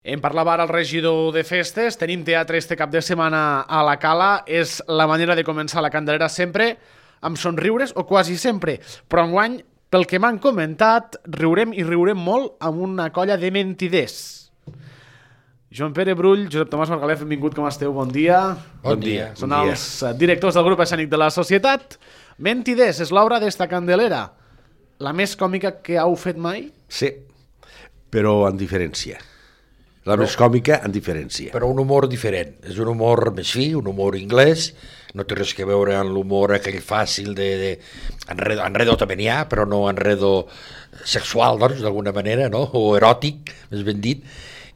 En parlava ara el regidor de festes, tenim teatre este cap de setmana a la Cala, és la manera de començar la Candelera sempre amb somriures, o quasi sempre, però enguany, pel que m'han comentat, riurem i riurem molt amb una colla de mentiders. Joan Pere Brull, Josep Tomàs Margalef, benvingut, com esteu? Bon dia. Bon dia. Són els directors del grup escènic de la societat. Mentiders és l'obra d'esta Candelera, la més còmica que heu fet mai? Sí, però en diferència. La més còmica en diferència. Però un humor diferent. És un humor més fi, un humor anglès, no té res que veure amb l'humor aquell fàcil de enredo també n'hi ha, però no enredo sexual, doncs, d'alguna manera, no? O eròtic, més ben dit.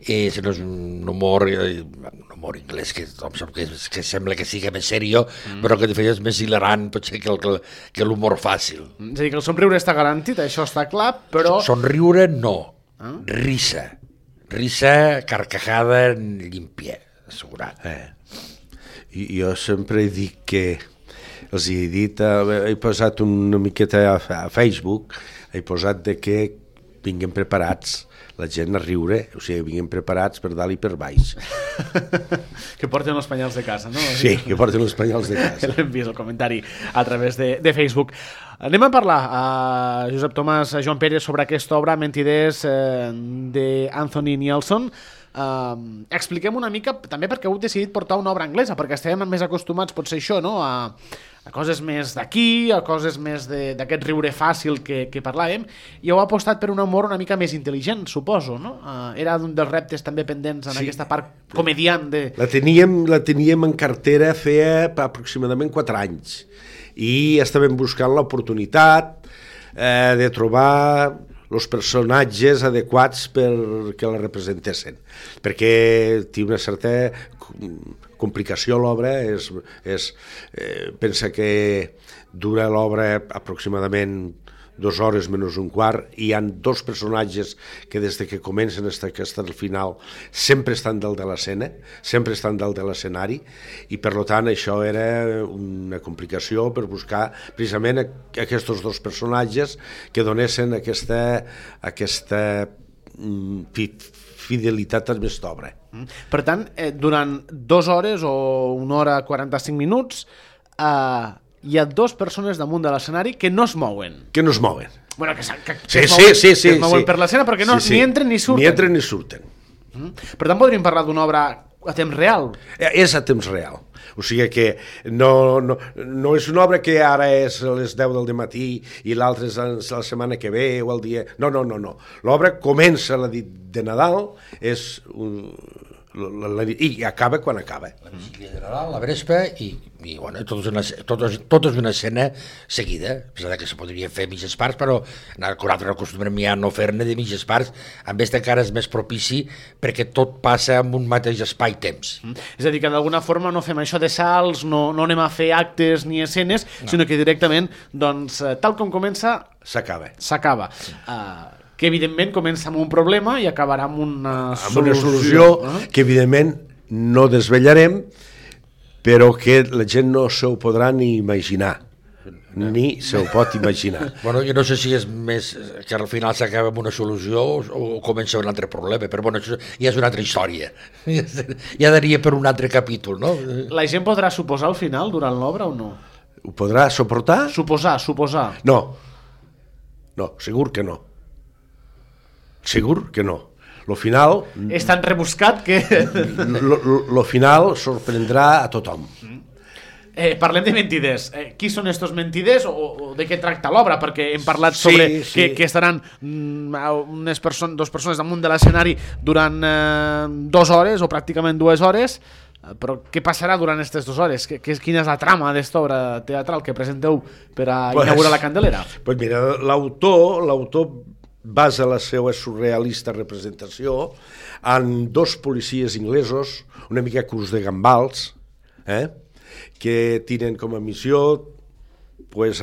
És un humor anglès que sembla que sigui més serio, però que de fet és més hilarant potser que l'humor fàcil. És a dir, que el somriure està garantit, això està clar, però... Somriure no, risa, carcajada llímpia, assegurat. I jo sempre dic que els he dit, he posat una miqueta a Facebook, he posat de que vinguem preparats la gent a riure, o sigui, vinguem preparats per dalt i per baix. Que porten els penyals de casa, no? Sí, que porten els penyals de casa. L'hem vist el comentari a través de Facebook. Anem a parlar, Josep Tomàs, Joan Pere, sobre aquesta obra, Mentiders, d'Anthony Nielsen. Expliquem una mica, també perquè heu decidit portar una obra anglesa, perquè estem més acostumats, potser això, no?, a coses més d'aquí, a coses més d'aquest riure fàcil que parlàvem, i heu apostat per un humor una mica més intel·ligent, suposo, no? Era un dels reptes també pendents en aquesta part comediant de... La teníem en cartera feia aproximadament 4 anys, i estàvem buscant l'oportunitat de trobar els personatges adequats perquè la representessin, perquè té una certa complicació l'obra, pensa que dura l'obra aproximadament 2 hores menys un quart, i hi ha 2 personatges que des de que comencen fins al final sempre estan dalt de l'escena, sempre estan dalt de l'escenari, i per tant això era una complicació per buscar precisament aquests 2 personatges que donessin aquesta fidelitat a aquesta obra. Per tant, durant 2 hores o 1 hora 45 minuts hi ha 2 persones damunt de l'escenari que no es mouen. Que no es mouen. Bueno, que es mouen per l'escena perquè ni entren ni surten. Ni entren ni surten. Per tant, podríem parlar d'una obra a temps real. És a temps real. O sigui que no és una obra que ara és a les 10 del matí i l'altra és la setmana que ve o el dia... No. L'obra comença la nit de Nadal, i acaba quan acaba. La vigília de Nadal, la Vespa, i bueno, tot és una escena seguida, a pesar que se podria fer mitges parts, però nosaltres acostumem ja a no fer-ne de mitges parts, amb aquesta encara és més propici perquè tot passa en un mateix espai-temps. És a dir, que d'alguna forma no fem això de salts, no anem a fer actes ni escenes, sinó que directament, doncs, tal com comença... S'acaba. Que evidentment comença amb un problema i acabarà amb una solució que evidentment no desvetllarem, però que la gent no se ho podrà ni imaginar, ni se ho pot imaginar. Bueno, jo no sé si és més que al final s'acaba amb una solució o comença un altre problema, però bueno, això ja és una altra història, ja daria per un altre capítol, no? La gent podrà suposar al final durant l'obra o no? Ho podrà suportar? Suposar. No, segur que no. Segur que no. Lo final... És tan rebuscat que... Lo final sorprendrà a tothom. Parlem de mentiders. Qui són estos mentiders o de què tracta l'obra? Perquè hem parlat sobre que estaran 2 persones damunt de l'escenari durant 2 hores o pràcticament 2 hores, però què passarà durant aquestes 2 hores? Quina és la trama d'esta obra teatral que presenteu per a inaugurar la Candelera? Pues mira, l'autor basa la seva surrealista representació en 2 policies inglesos, una mica curs de gambals, que tenen com a missió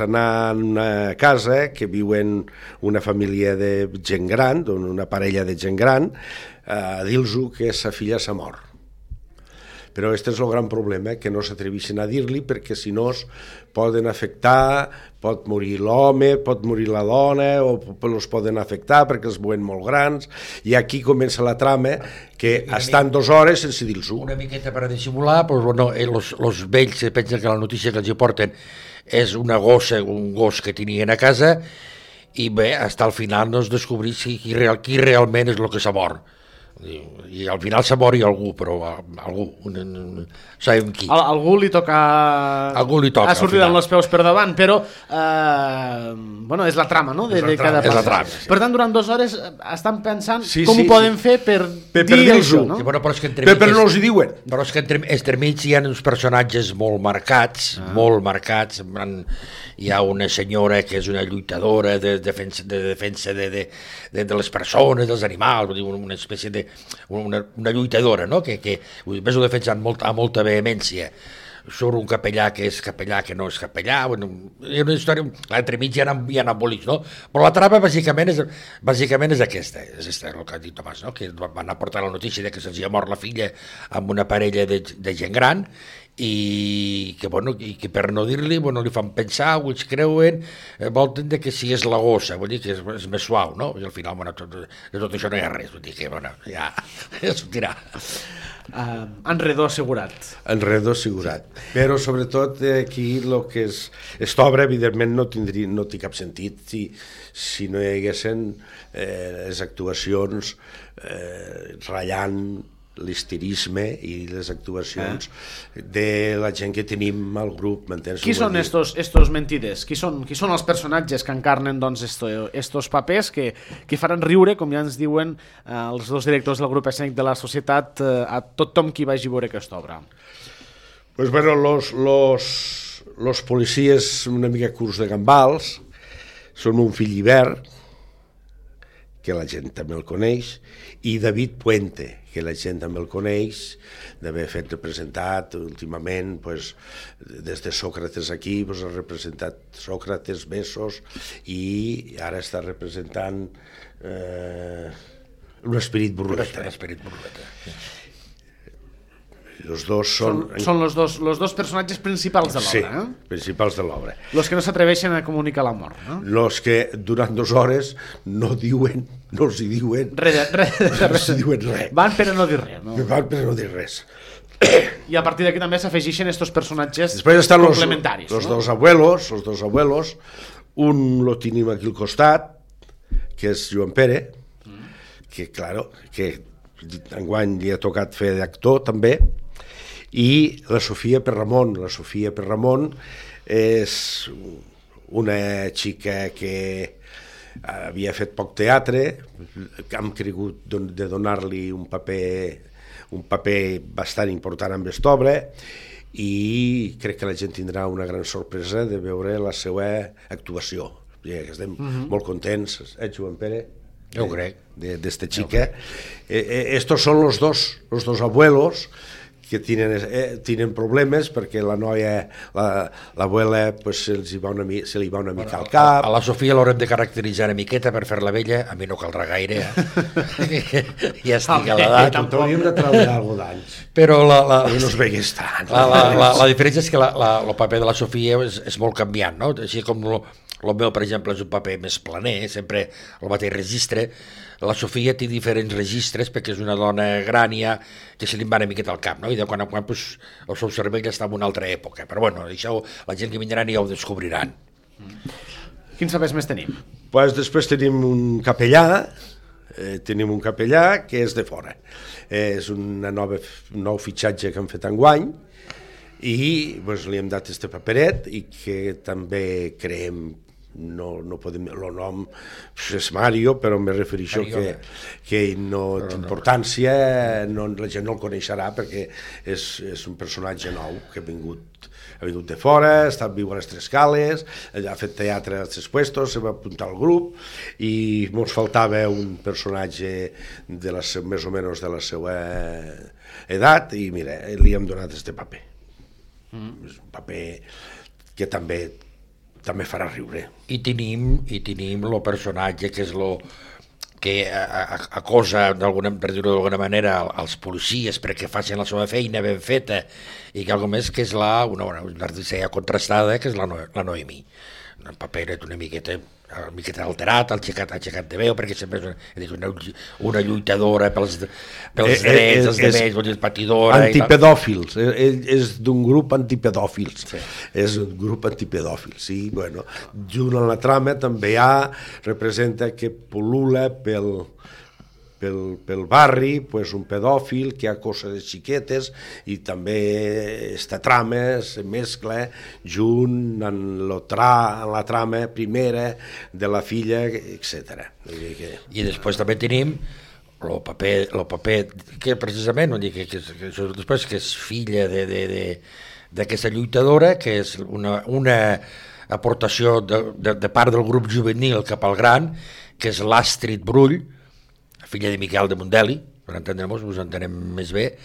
anar a una casa que viuen una família de gent gran, una parella de gent gran, a dir-los que sa filla s'ha mort. però aquest és el gran problema, que no s'atreveixen a dir-li, perquè si no es poden afectar, pot morir l'home, pot morir la dona, o els poden afectar perquè els veuen molt grans, i aquí comença la trama, que estan 2 hores sense dir-s'ho. Una miqueta per a dissimular, doncs, bueno, els vells pensen que la notícia que els hi porten és una gossa, un gos que tenien a casa, i bé, fins al final no es descobrís qui realment és el que s'ha mort. I al final s'ha mort algú, però algú, sabem qui. Algú li toca ha sortit amb els peus per davant, però bueno, és la trama, no? De cada pas. Per tant, durant 2 hores estan pensant com ho poden fer per dir això, no? Però no els hi diuen. Però és que entremig hi ha uns personatges molt marcats, hi ha una senyora que és una lluitadora de defensa de les persones, dels animals, una espècie de una lluitadora, no? que més ho defensa amb molta vehemència. Surt un capellà que és capellà, que no és capellà, bueno, hi ha una història, entremig hi ha embolics, no? Però la trama bàsicament és aquesta, és el que ha dit Tomàs, no? Que van aportar la notícia de que se'ls ha mort la filla amb una parella de gent gran, i que per no dir-li li fan pensar, ho ells creuen, volen que si és la gossa, vull dir que és més suau, no? I al final de tot això no hi ha res, vull dir que ja sortirà. Enredor assegurat. Però sobretot aquí el que és aquesta obra evidentment no té cap sentit si no hi haguessin les actuacions ratllant l'histerisme i les actuacions de la gent que tenim al grup, m'entens? Qui són estos mentiders? Qui són els personatges que encarnen estos papers que faran riure, com ja ens diuen els 2 directors del grup escènic de la societat, a tothom qui vagi a veure aquesta obra? Pues bueno, los policies una mica curts de gambals són un fill Ibert, que la gent també el coneix, i David Puente, que la gent també el coneix, d'haver fet representat últimament, des de Sòcrates aquí, ha representat Sòcrates, Besos, i ara està representant l'Esperit Burleta. Los dos són los dos personatges principals de l'obra. Sí, principals de l'obra. Los que no s'atreveixen a comunicar la mort, no? Los que durant 2 hores no els hi diuen res. Van per a no dir res, no? Van per a no dir res. I a partir d'aquí també s'afegeixen estos personatges després estan complementaris. Els dos abuelos, un lo tenim aquí al costat, que és Joan Pere, que enguany li ha tocat fer d'actor també, i la Sofia Perramon. La Sofia Perramon és una xica que havia fet poc teatre, que hem cregut de donar-li un paper bastant important amb aquesta obra, i crec que la gent tindrà una gran sorpresa de veure la seva actuació. Estem molt contents, Joan Pere? Yo creo. De esta chica. Estos son los dos abuelos que tienen problemes perquè la noia, l'abuela, se li va una mica al cap. A la Sofia l'haurem de caracteritzar una miqueta per fer-la vella, a mi no caldrà gaire, ja estic a l'edat. Hauríem de treure alguna d'anys. Però no es veigués tant. La diferència és que el paper de la Sofia és molt canviant, no? Així com el meu, per exemple, és un paper més planer, sempre el mateix registre. La Sofia té diferents registres perquè és una dona grània que se li va una miqueta al cap, no? I de quan en quan el seu cervell està en una altra època. Però bueno, això la gent que vindran ja ho descobriran. Quins papers més tenim? Després tenim un capellà, que és de fora. És un nou fitxatge que han fet enguany, i li hem dat este paperet, i que també creem, no podem, el nom és Mario, però me refereixo que no té importància, la gent no el coneixerà perquè és un personatge nou que ha vingut de fora, ha estat viu a les Tres Cales, ha fet teatre als Tres Puestos, se va apuntar al grup, i ens faltava un personatge més o menys de la seva edat, i mira, li hem donat este paper. És un paper que també farà riure. I tenim el personatge que que acosa, per dir-ho d'alguna manera, als policies perquè facin la seva feina ben feta, i que algo més que és una artista contrastada, que és la Noemí. Un paper una miqueta alterat, ha aixecat de veu, perquè sempre és una lluitadora pels drets, els demés, patidora... Antipedòfils, és d'un grup antipedòfils, és un grup antipedòfils, i bueno, junt a la trama també representa que pol·lula pel barri, pues, un pedòfil que acosa de xiquetes, i també esta trama se mescla junt en la trama primera de la filla, etc. I després també tenim el paper que precisament, que després que és filla d'aquesta lluitadora, que és una aportació de part del grup juvenil cap al gran, que és l'Astrid Brull, filla de Miquel de Mundeli, per entendre-nos, us entenem més bé,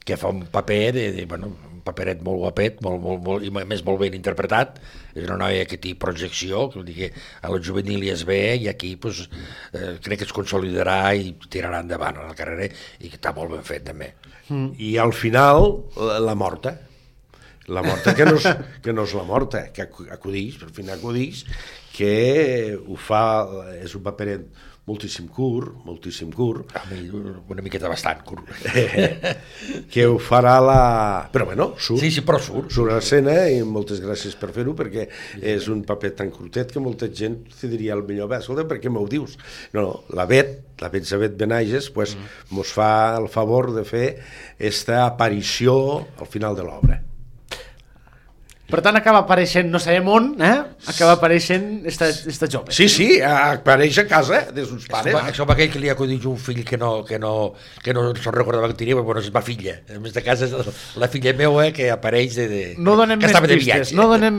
que fa un paper, un paperet molt guapet, i a més molt ben interpretat. És una noia que té projecció, que vull dir que a la juvenil es ve, i aquí crec que es consolidarà i tirarà endavant a la carrera, i que està molt ben fet també. I al final, la morta, que no és la morta, que acudix, per fi acudix, que ho fa, és un paperet moltíssim curt, una miqueta bastant curt, que ho farà però bueno, surt, però surt a l'escena, i moltes gràcies per fer-ho, perquè és un paper tan curtet que molta gent te diria el millor, escolta, per què m'ho dius? No, la Betsabet Benages mos fa el favor de fer esta aparició al final de l'obra. Per tant, acaba apareixent, no sabem on, acaba apareixent esta jove. Sí, apareix a casa dels seus pares. Això va aquell que li ha acudit un fill que no se'n recordava que tenia, però és ma filla. A més de casa és la filla meva que apareix No donem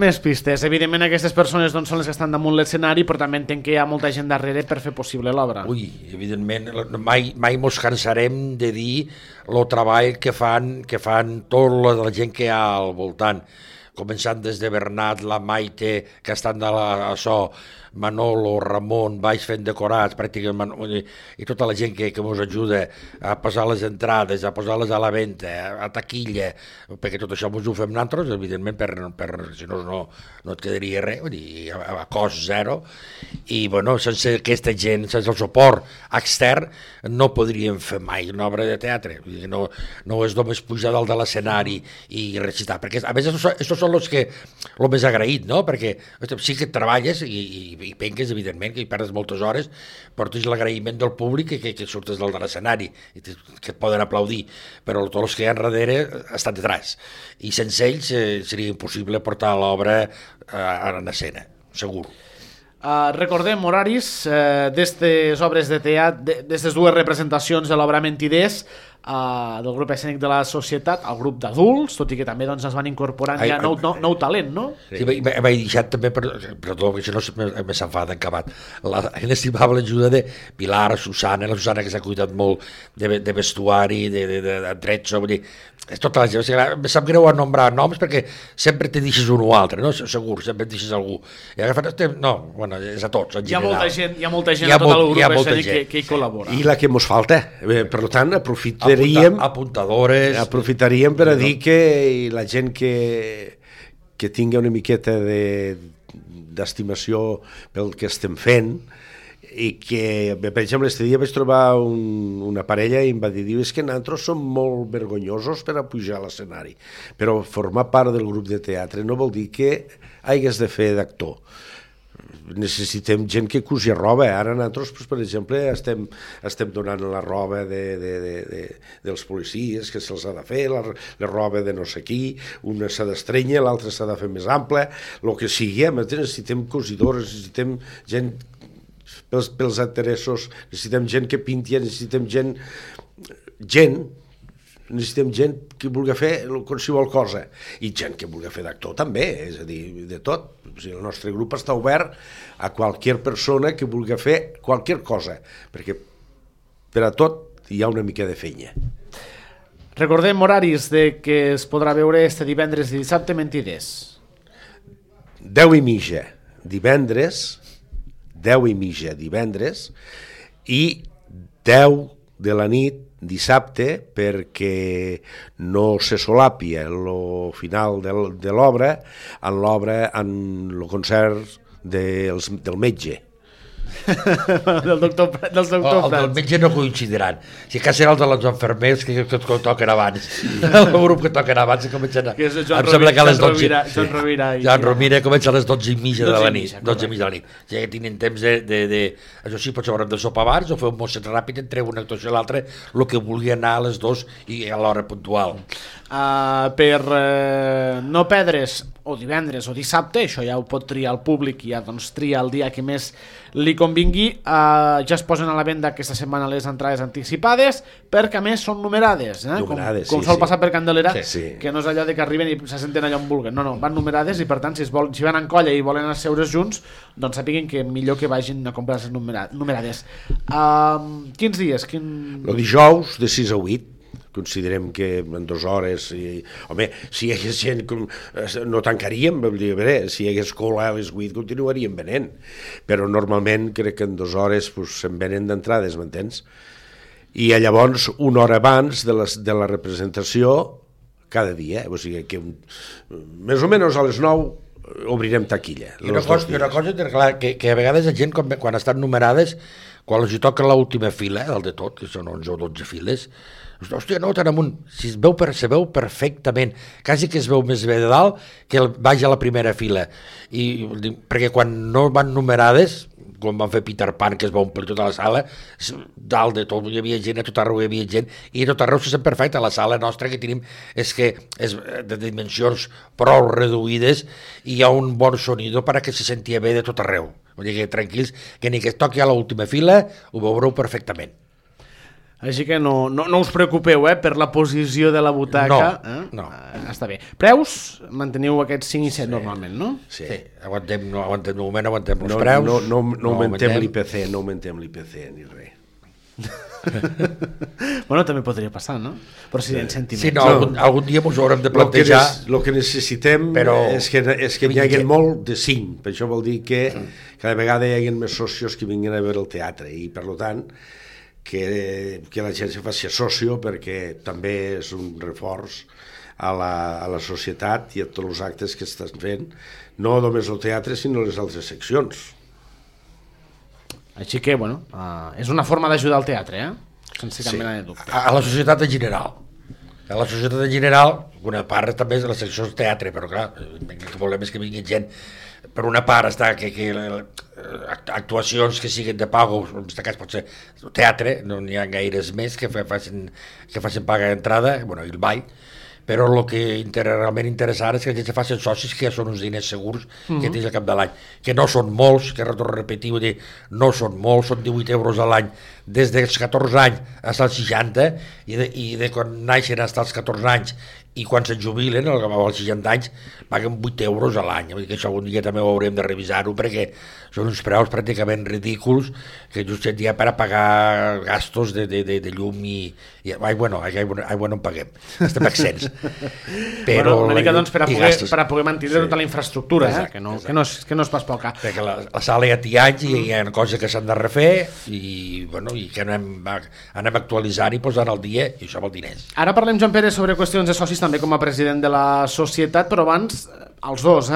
més pistes. Evidentment, aquestes persones són les que estan damunt l'escenari, però també entenc que hi ha molta gent darrere per fer possible l'obra. Ui, evidentment, mai mos cansarem de dir el treball que fan tota la gent que hi ha al voltant, començant des de Bernat, la Maite, que estan de Manolo, Ramon, baix fent decorats, pràcticament, i tota la gent que ens ajuda a posar les entrades, a posar-les a la venda, a taquilla, perquè tot això ens ho fem nosaltres, evidentment, si no et quedaria res, a cost zero, i bueno, sense aquesta gent, sense el suport extern, no podríem fer mai una obra de teatre. No és només pujar dalt de l'escenari i recitar, perquè a més estos són els més agraït, no? Perquè sí que treballes i penques, evidentment, que hi perdes moltes hores, però tens l'agraïment del públic que surtes dalt de l'escenari, que et poden aplaudir, però tots els que hi ha darrere estan detrás, i sense ells seria impossible portar l'obra en escena, segur. Recordem horaris d'estes obres de teatre, d'estes dues representacions de l'obra Mentiders, del grup escènic de la Societat, al grup d'adults, tot i que també es van incorporant ja nou talent, no? Sí, m'he deixat també, perdó, que això no s'enfada encabat, la inestimable ajuda de Pilar, la Susana que s'ha cuidat molt de vestuari, de trezzo, vull dir, tota la gent, em sap greu nombrar noms perquè sempre te deixes un o altre, no? Segur, sempre et deixes algú. No, bueno, és a tots, en general. Hi ha molta gent a tot el grup escènic que hi col·labora. I la que mos falta, per tant, aprofitaríem per a dir que la gent que tingui una miqueta d'estimació pel que estem fent, i que, per exemple, este dia vaig trobar una parella i em va dir, és que nosaltres som molt vergonyosos per a pujar a l'escenari, però formar part del grup de teatre no vol dir que hagués de fer d'actor. Necessitem gent que cusi roba. Ara nosaltres, per exemple, estem donant la roba dels policies, que se'ls ha de fer, la roba de no sé qui, una s'ha d'estrenyar, l'altra s'ha de fer més ampla, el que sigui. Necessitem cosidores, necessitem gent pels interessos, necessitem gent que pinti, necessitem gent que vulgui fer qualsevol cosa, i gent que vulgui fer d'actor també, és a dir, de tot. El nostre grup està obert a qualsevol persona que vulgui fer qualsevol cosa, perquè per a tot hi ha una mica de feina. Recordem horaris de que es podrà veure este divendres i dissabte Mentiders. 10:30 divendres, 10:30 divendres, i 10 de la nit dissabte, perquè no se solapia el final de l'obra en el concert del metge. del doctor El del metge no coincidiran. Si cas serà el de les enfermers que toquen abans. El grup que toquen abans comencen a... Em sembla que a les 12... Joan Rovira comença a les 12:30 de la nit. 12:30 de la nit. Ja que tenen temps això sí, potser haurem de sopar abans o fer un mosset ràpid entre una actuació i l'altra, el que vulgui anar a les 2 i a l'hora puntual. Per no perdre's o divendres o dissabte, això ja ho pot triar el públic i ja doncs tria el dia que més li convingui, ja es posen a la venda aquesta setmana les entrades anticipades, perquè a més són numerades, com sol passar per Candelera, que no és allò de que arriben i se senten allà on vulguen, no, van numerades i per tant si van en colla i volen asseure's junts, doncs sapiguin que millor que vagin a comprar les numerades. Quins dies? El dijous de 6 a 8. Considerem que en 2 hores home, si hi hagués gent no tancaríem, si hi hagués cola a les 8 continuaríem venent, però normalment crec que en 2 hores se'n venen d'entrades, m'entens? I llavors una hora abans de la representació cada dia, o sigui que més o menys a les 9 obrirem taquilla. I una cosa clar, que a vegades la gent quan estan numerades, quan els hi toca l'última fila, el de tot, que són 11 o 12 files, hòstia, no, tan amunt, si se veu perfectament, quasi que es veu més bé de dalt que vagi a la primera fila, perquè quan no van numerades, com van fer Peter Pan, que es va omplir tota la sala, dalt de tot hi havia gent, a tot arreu hi havia gent, i a tot arreu se sent perfecte. La sala nostra que tenim és que és de dimensions prou reduïdes i hi ha un bon sonido perquè se sentia bé de tot arreu. Vull dir que tranquils, que ni que es toqui a l'última fila, ho veureu perfectament. Així que no us preocupeu per la posició de la butaca. No. Està bé. Preus, manteniu aquests 5 i 7 normalment, no? Sí. Aguantem els preus. No augmentem l'IPC, ni res. Bueno, també podria passar, no? Però si en sentiments. Sí, algun dia ens haurem de plantejar. El que necessitem és que hi hagi molt de 5. Per això vol dir que cada vegada hi hagi més socios que vinguin a veure el teatre i, per tant, que la gent se faci socio, perquè també és un reforç a la societat i a tots els actes que estan fent, no només el teatre sinó les altres seccions. Així que, bueno, és una forma d'ajudar al teatre, sense cap mena de dubte. A la societat en general. A la societat en general, una part també és la secció del teatre, però clar, el que volem és que vingui gent. Per una part està que actuacions que siguin de pago, en aquest cas pot ser teatre, no n'hi ha gaires més que facin paga d'entrada, i el ball, però el que realment interessant és que la gent se facin socis, que ja són uns diners segurs que tens al cap de l'any, que no són molts, que retorno a repetir, vull dir, no són molts, són 18 euros a l'any des dels 14 anys fins als 60, i de quan naixen fins als 14 anys i quan se'n jubilen, als 60 anys, paguen 8 euros a l'any. Vull dir que això algun dia també ho haurem de revisar-ho, perquè són uns preus pràcticament ridículs que just ja per a pagar gastos de llum i aigua no en paguem, estem accents. Però una mica doncs per a poder mantenir tota la infraestructura, que no és pas poca. Perquè la sala ja té anys i hi ha coses que s'han de refer i que anem actualitzant i posant al dia, i això vol diners. Ara parlem, Joan Pere, sobre qüestions de socis també com a president de la societat, però abans els dos,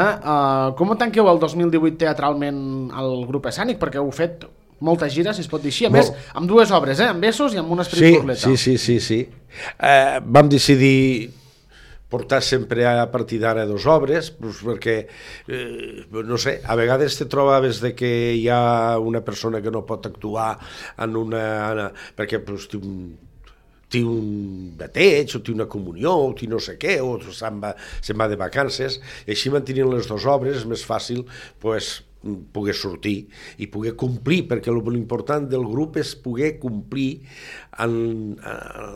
com tanqueu el 2018 teatralment al grup escènic? Perquè heu fet molta gira, si es pot dir així, a més amb 2 obres, amb Besos i amb un Esperit Burleta. Sí. Vam decidir portar sempre a partir d'ara 2 obres, perquè, no sé, a vegades te trobaves de que hi ha una persona que no pot actuar perquè té un bateig, o té una comunió, o té no sé què, o se'n va de vacances, i així mantenint les 2 obres és més fàcil poder sortir i poder complir, perquè l'important del grup és poder complir en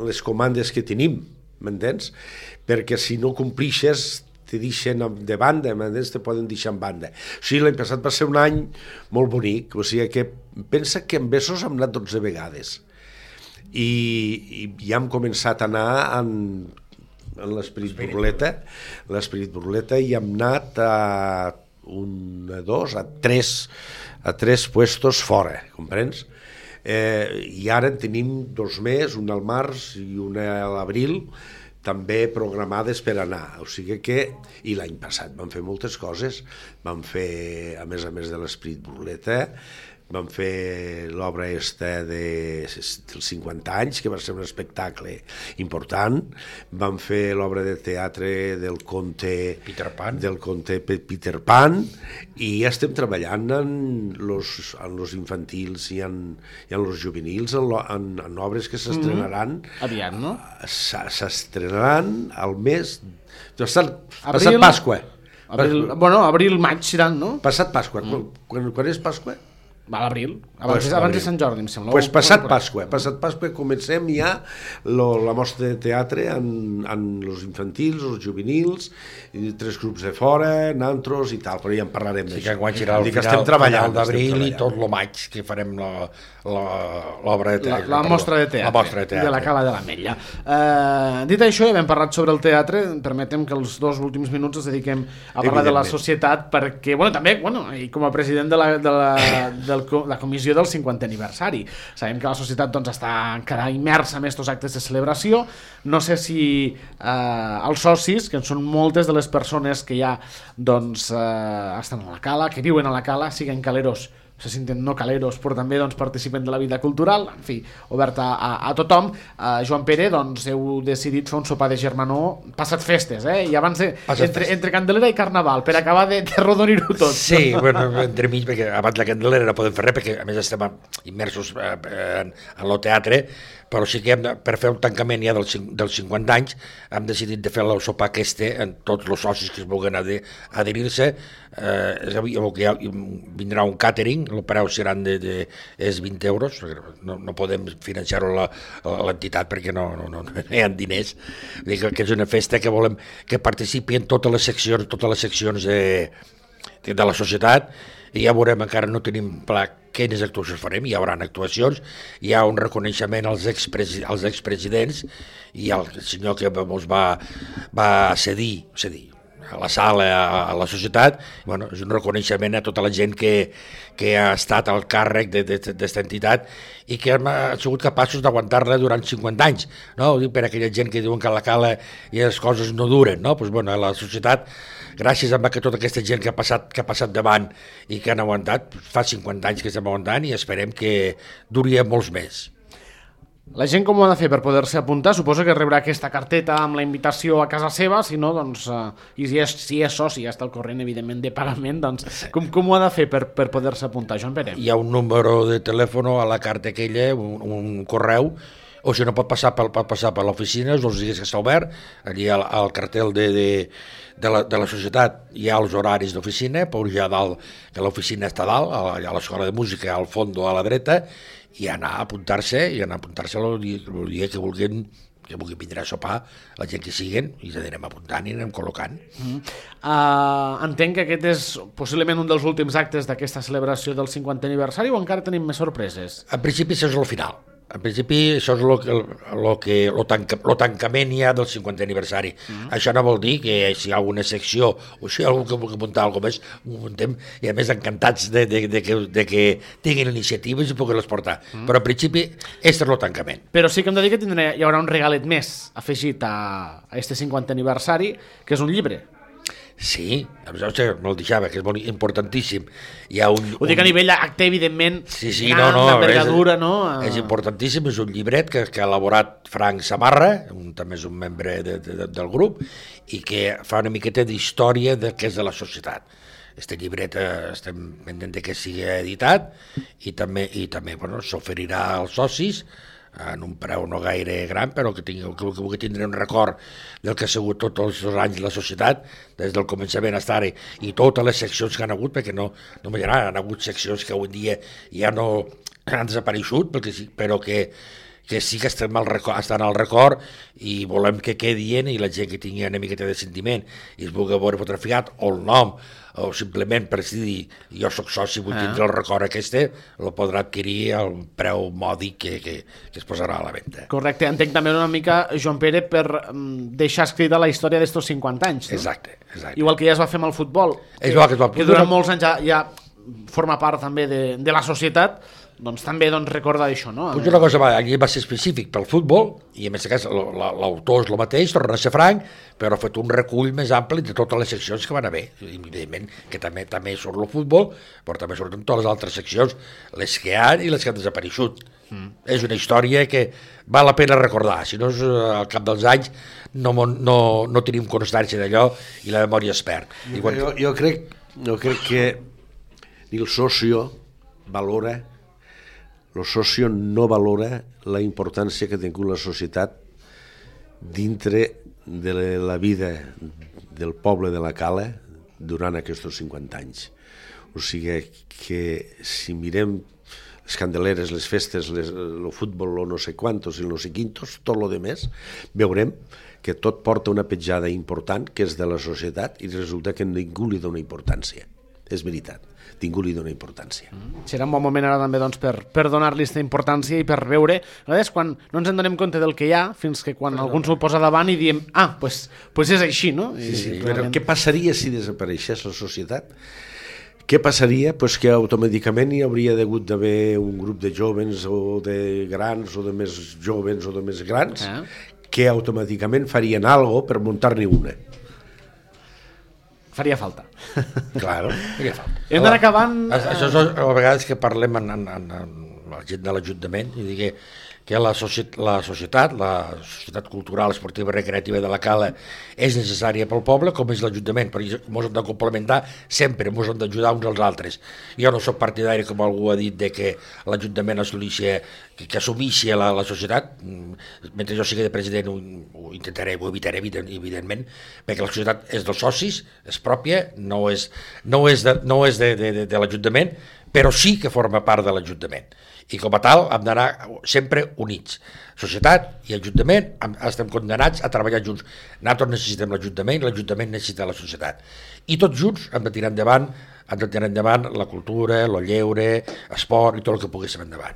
les comandes que tenim, m'entens? Perquè si no complixes te deixen de banda, te poden deixar en banda. O sigui, l'any passat va ser un any molt bonic, o sigui que pensa que en Besos hem anat 12 vegades i ja hem començat a anar en l'Esperit Burleta i hem anat a 3 puestos fora, comprens? I ara en tenim 2 més, una al març i una a l'abril, també programades per anar, o sigui que, i l'any passat vam fer moltes coses, vam fer, a més de l'Esprit Burleta, vam fer l'obra dels 50 anys, que va ser un espectacle important, vam fer l'obra de teatre del conte Peter Pan, Peter Pan, i ja estem treballant en los infantils i en los juvenils, en obres que s'estrenaran aviat, no? S'estrenaran al mes passat Pasqua. Abril-maig seran, no? Passat Pasqua. Quan és Pasqua? Va a l'abril, abans de Sant Jordi, em sembla. Doncs passat Pasqua comencem ja la mostra de teatre en els infantils, els juvenils, 3 grups de fora, nantros i tal, però ja en parlarem d'això. Sí, que enguany serà al final d'abril i tot el maig que farem l'obra de teatre. La mostra de teatre de la Cala de l'Ametlla. Dit això, ja hem parlat sobre el teatre, permetem que els 2 últims minuts els dediquem a parlar de la societat, perquè, també, i com a president de la comissió del 50è aniversari. Sabem que la societat està encara immersa en aquests actes de celebració. No sé si els socis, que són moltes de les persones que ja estan a la cala, que viuen a la cala, siguen caleros, se senten no caleros, però també participen de la vida cultural, en fi, oberta a tothom. Joan Pere, heu decidit fer un sopar de germanor passat festes, i abans entre Candelera i Carnaval, per acabar de rodonir-ho tot. Sí, entremig, perquè abans la Candelera no podem fer res, perquè a més estem immersos en el teatre, però sí que per fer un tancament ja dels 50 anys hem decidit de fer el sopar en tots els socis que es vulguin adherir-se. Vindrà un catering, el preu seran és 20 euros, no podem financiar-ho l'entitat perquè no hi ha diners. Vull dir que és una festa que volem que participi en totes les seccions de la societat, i ja veurem, encara no tenim clar quines actuacions farem. Hi haurà actuacions, hi ha un reconeixement als expresidents i al senyor que ens va cedir a la sala, a la societat. És un reconeixement a tota la gent que ha estat al càrrec d'esta entitat i que han sigut capaços d'aguantar-la durant 50 anys. Ho dic per aquella gent que diuen que a la cala i les coses no duren. La societat, gràcies a tota aquesta gent que ha passat davant i que han aguantat, fa 50 anys que estem aguantant i esperem que duri molts més. La gent com ho ha de fer per poder-se apuntar? Suposo que rebrà aquesta carteta amb la invitació a casa seva, si no, i si és soci, ja està al corrent, evidentment, de pagament, com ho ha de fer per poder-se apuntar, Joan Pere? Hi ha un número de telèfon a la carta aquella, un correu, o si no pot passar per l'oficina, els dies que està obert, allí al cartel de la societat hi ha els horaris d'oficina, pujar dalt, que l'oficina està dalt, a l'escola de música al fons a la dreta, i anar a apuntar-se el dia que vulguin vindre a sopar, la gent que siguen, i ens anirem apuntant i anem col·locant. Entenc que aquest és possiblement un dels últims actes d'aquesta celebració del 50è aniversari, o encara tenim més sorpreses? En principi això és el final. En principi això és el tancament ja del 50è aniversari. Això no vol dir que si hi ha alguna secció o si hi ha algú que vulgui muntar alguna cosa més, ho muntem, i a més encantats de que tinguin iniciatives i puguin les portar. Però en principi és el tancament. Però sí que hem de dir que hi haurà un regalet més afegit a este 50è aniversari, que és un llibre. Sí, me'l deixava, que és molt importantíssim. Ho dic a nivell acte, evidentment, d'envergadura, no? És importantíssim, és un llibret que ha elaborat Frank Samarra, també és un membre del grup, i que fa una miqueta d'història del que és de la societat. Este llibret estem pendent que sigui editat i també s'oferirà als socis en un preu no gaire gran, però que vulgui tindre un record del que ha sigut tots els anys de la societat, des del començament fins ara, i totes les seccions que han hagut, perquè no han hagut seccions que avui dia ja no han desapareixut, però que sí que estan al record i volem que quedin, i la gent que tingui una miqueta de sentiment i es vulgui veure fotografiat, o el nom, o simplement per dir jo soc soci, vull tindre el record aquest, el podrà adquirir al preu mòdic que es posarà a la venda. Correcte, entenc també una mica, Joan Pere, per deixar escrita la història d'estos 50 anys, no? Exacte. Igual que ja es va fer amb el futbol, que durant molts anys ja forma part també de la societat, doncs també recordar això, no? Pues una cosa, allí va ser específic pel futbol, i en aquest cas l'autor és el mateix, torna a ser franc, però ha fet un recull més ampli de totes les seccions que van haver. I, evidentment, que també surt el futbol, però també surten totes les altres seccions, les que hi ha i les que han desapareixut. És una història que val la pena recordar, si no al cap dels anys no tenim constància d'allò i la memòria es perd. Jo crec que ni el socio valora, el socio no valora la importància que ha tingut la societat dintre de la vida del poble de la Cala durant aquests 50 anys. O sigui que si mirem les candeleres, les festes, el futbol, el no sé quantos i el no sé quintos, tot el demés, veurem que tot porta una petjada important que és de la societat i resulta que ningú li dona importància. És veritat, ningú li dona importància. Serà un bon moment ara també per donar-li aquesta importància i per veure, quan no ens en donem compte del que hi ha, fins que quan algú ens ho posa davant i diem, pues és així, no? Sí, però què passaria si desapareixés la societat? Què passaria? Pues que automàticament hi hauria hagut d'haver un grup de jovens o de grans o de més jovens o de més grans que automàticament farien alguna per muntar-ne una. Faria falta. Claro, faria falta. Hem d'anar acabant... Això és a vegades que parlem amb la gent de l'Ajuntament i digui que la societat cultural, esportiva i recreativa de la Cala és necessària pel poble com és l'Ajuntament, perquè ens hem de complementar sempre, ens hem d'ajudar uns als altres. Jo no soc partidari, com algú ha dit, de que l'Ajuntament que assumixi la societat. Mentre jo sigui de president ho intentaré, ho evitaré, evidentment, perquè la societat és dels socis, és pròpia, no és de l'Ajuntament, però sí que forma part de l'Ajuntament. I com a tal hem d'anar sempre units. Societat i Ajuntament estem condemnats a treballar junts. Nosaltres necessitem l'Ajuntament i l'Ajuntament necessita la societat. I tots junts hem de tirar endavant la cultura, el lleure, esport i tot el que poguéssim endavant.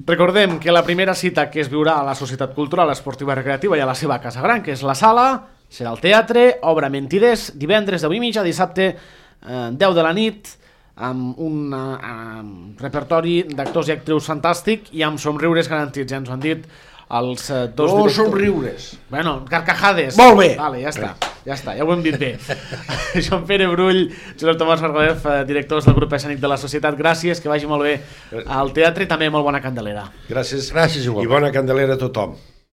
Recordem que la primera cita que es viurà a la Societat Cultural Esportiva i Recreativa i a la seva Casa Gran, que és la Sala, serà al teatre, obra Mentiders, divendres 10:30, dissabte 10 de la nit, amb un repertori d'actors i actrius fantàstic i amb somriures garantits, ja ens ho han dit els dos directors. Somriures. Bueno, carcajades. Molt bé. Vale, ja està, ja ho hem dit bé. Joan Pere Brull, Josep Tomàs Margalef, directors del grup escènic de la Societat, gràcies, que vagi molt bé al teatre i també molt bona Candelera. Gràcies igualment. I bona Candelera a tothom.